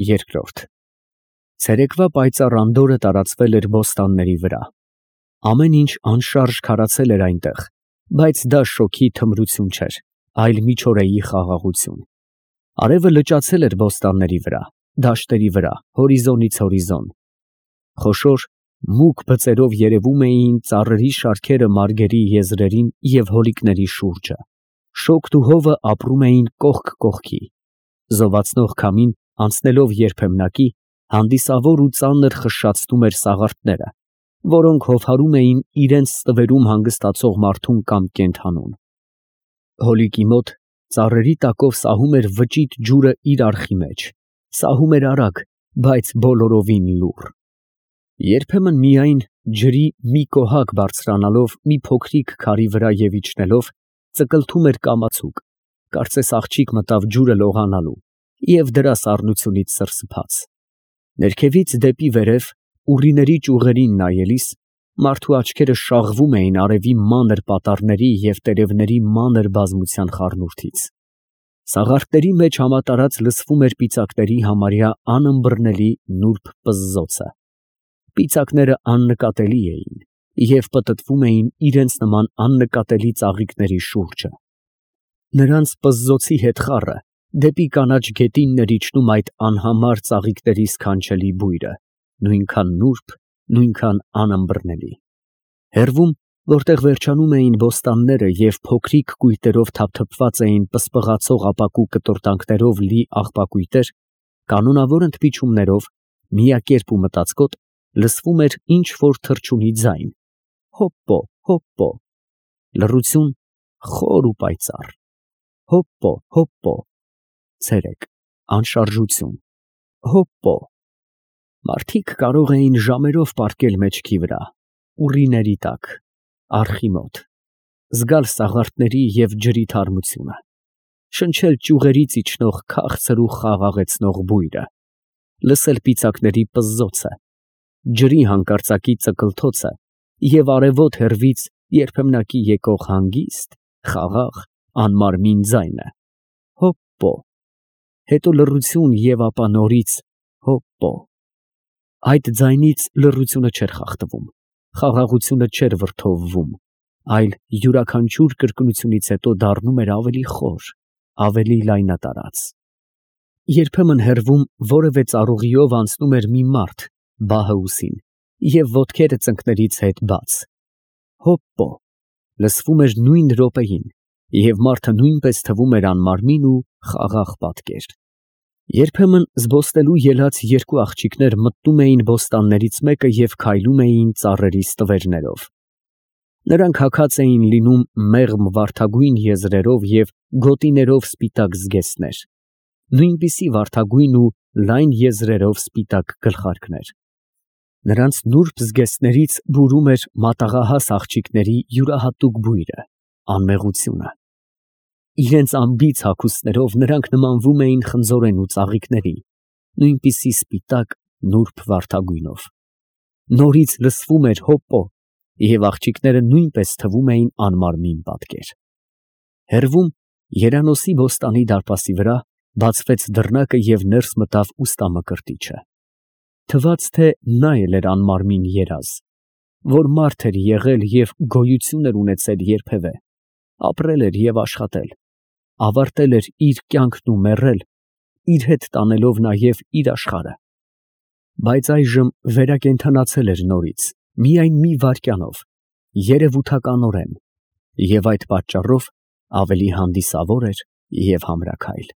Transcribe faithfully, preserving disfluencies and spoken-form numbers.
Երկրորդ Ցերեկվա պայծառ անդորրը տարածվել էր բոստանների վրա։ Ամեն ինչ անշարժ քարացել էր այնտեղ, բայց դա շոգի թմրություն չէր, այլ միջօրեի խաղաղություն։ Արևը լճացել էր բոստանների վրա, դաշտերի վրա, հորիզոնից հորիզոն։ Խոշոր, մուգ բծերով երևում էին ծառերի շարքերը մարգերի եզրերին և հոլիկների շուրջը։ Շոգն ու հովը ապրում էին կողք կողքի։ Զովացնող քամին, անցնելով երբեմնակի, հանդիսավոր ու ծանր խշշացնում էր սաղարթները, որոնք հովհարում էին իրենց ստվերում հանգստացող մարդուն կամ կենդանուն։ Հոլիկի մոտ ծառերի տակով սահում էր վճիտ ջուրը իր արխի մեջ, սահում էր արագ, բայց բոլորովին լուռ։ Երբեմն միայն ջրի մի կոհակ բարձրանալով մի փոքրիկ քարի վրա և իջնելով, ծկլթում էր կամացուկ, կարծես աղջիկ մտավ ջուրը լողանալու և դրա սառնությունից սրսփաց։ Ներքևից դեպի վերև, ուռիների ճյուղերին նայելիս, մարդու աչքերը շաղվում էին արևի մանր պատառների և տերևների մանր բազմության խառնուրդից։ Սաղարթների մեջ համատարած լսվում էր պիծակների համարյա անըմբռնելի նուրբ պզզոցը։ Պիծակները աննկատելի էին և պտտվում էին իրենց նման աննկատելի ծաղիկների շուրջը։ Նրանց պզզոցի հետ խառը դեպի կանաչ գետինն էր իջնում այդ անհամար ծաղիկների սքանչելի բույրը, նույնքան նուրբ, նույնքան անըմբռնելի։ Հեռվում, որտեղ վերջանում էին բոստանները և փոքրիկ կույտերով թափթփված էին պսպղացող ապակու կտորտանքներով լի աղբակույտեր, կանոնավոր ընդմիջումներով, միակերպ ու մտածկոտ, լսվում էր ինչ֊որ թռչունի ձայն. հոպպո, հոպպո, լռություն խոր ու պայծառ, հոպպո, հոպպո, ցերեկ, անշարժություն, հոպպո։ Մարդիկ կարող էին ժամերով պառկել մեջքի վրա, ուռիների տակ, արխի մոտ, զգալ սաղարթների և ջրի թարմությունը, շնչել ճյուղերից իջնող քաղցր ու խաղաղեցնող բույրը, լսել պիծակների պզզոցը, ջրի հանկարծակի ծկլթոցը և արևոտ հեռվից երբեմնակի եկող հանգիստ, խաղաղ, անմարմին ձայնը. հոպպո, հետո լռություն և ապա նորից հոպպո։ Այդ ձայնից լռությունը չէր խախտվում, խաղաղությունը չէր վրդովվում, այլ յուրաքանչյուր կրկնությունից հետո դառնում էր ավելի խոր, ավելի լայնատարած։ Երբեմն հեռվում որևէ ծառուղիով անցնում էր մի մարդ, բահը ուսին, և ոտքերը ծնկներից հետ բաց, հոպպո, լսվում էր նույն րոպեին, և մարդը նույնպես թվում էր անմարմին ու խաղաղ պատկեր։ Երբեմն զբոսնելու ելած երկու աղջիկներ մտնում էին բոստաններից մեկը և քայլում էին ծառերի ստվերներով։ Նրանք հագած էին լինում մեղմ վարդագույն եզրերով և գոտիներով սպիտակ զգեստներ, նույնպիսի վարդագույն ու լայն եզրերով սպիտակ գլխարկներ։ Նրանց նուրբ զգեստներից բուրում էր մատաղահաս աղջիկների յուրահատուկ բույրը, անմեղությունը։ Իրենց անբիծ հագուստներով նրանք նմանվում էին խնձորենու ծաղիկների, նույնպիսի սպիտակ, նուրբ վարդագույնով։ Նորից լսվում էր հոպպո, և աղջիկները նույնպես թվում էին անմարմին պատկեր։ Հեռվում, երանոսի բոստանի դարպասի վրա, բացվեց դռնակը և ներս մտավ ուստամկրտիչը։ Թվաց, թե նա էլ էր անմարմին երազ, որ մարդ էր եղել և գոյություն էր ունեցել երբևէ, ապրել էր և աշխատել, ավարտել էր իր կյանքն ու մեռել, իր հետ տանելով նաև իր աշխարհը։ Բայց այժմ վերակենդանացել էր նորից, միայն մի վայրկյանով, երևութականորեն, և այդ պատճառով ավելի հանդիսավոր էր և համրաքայլ։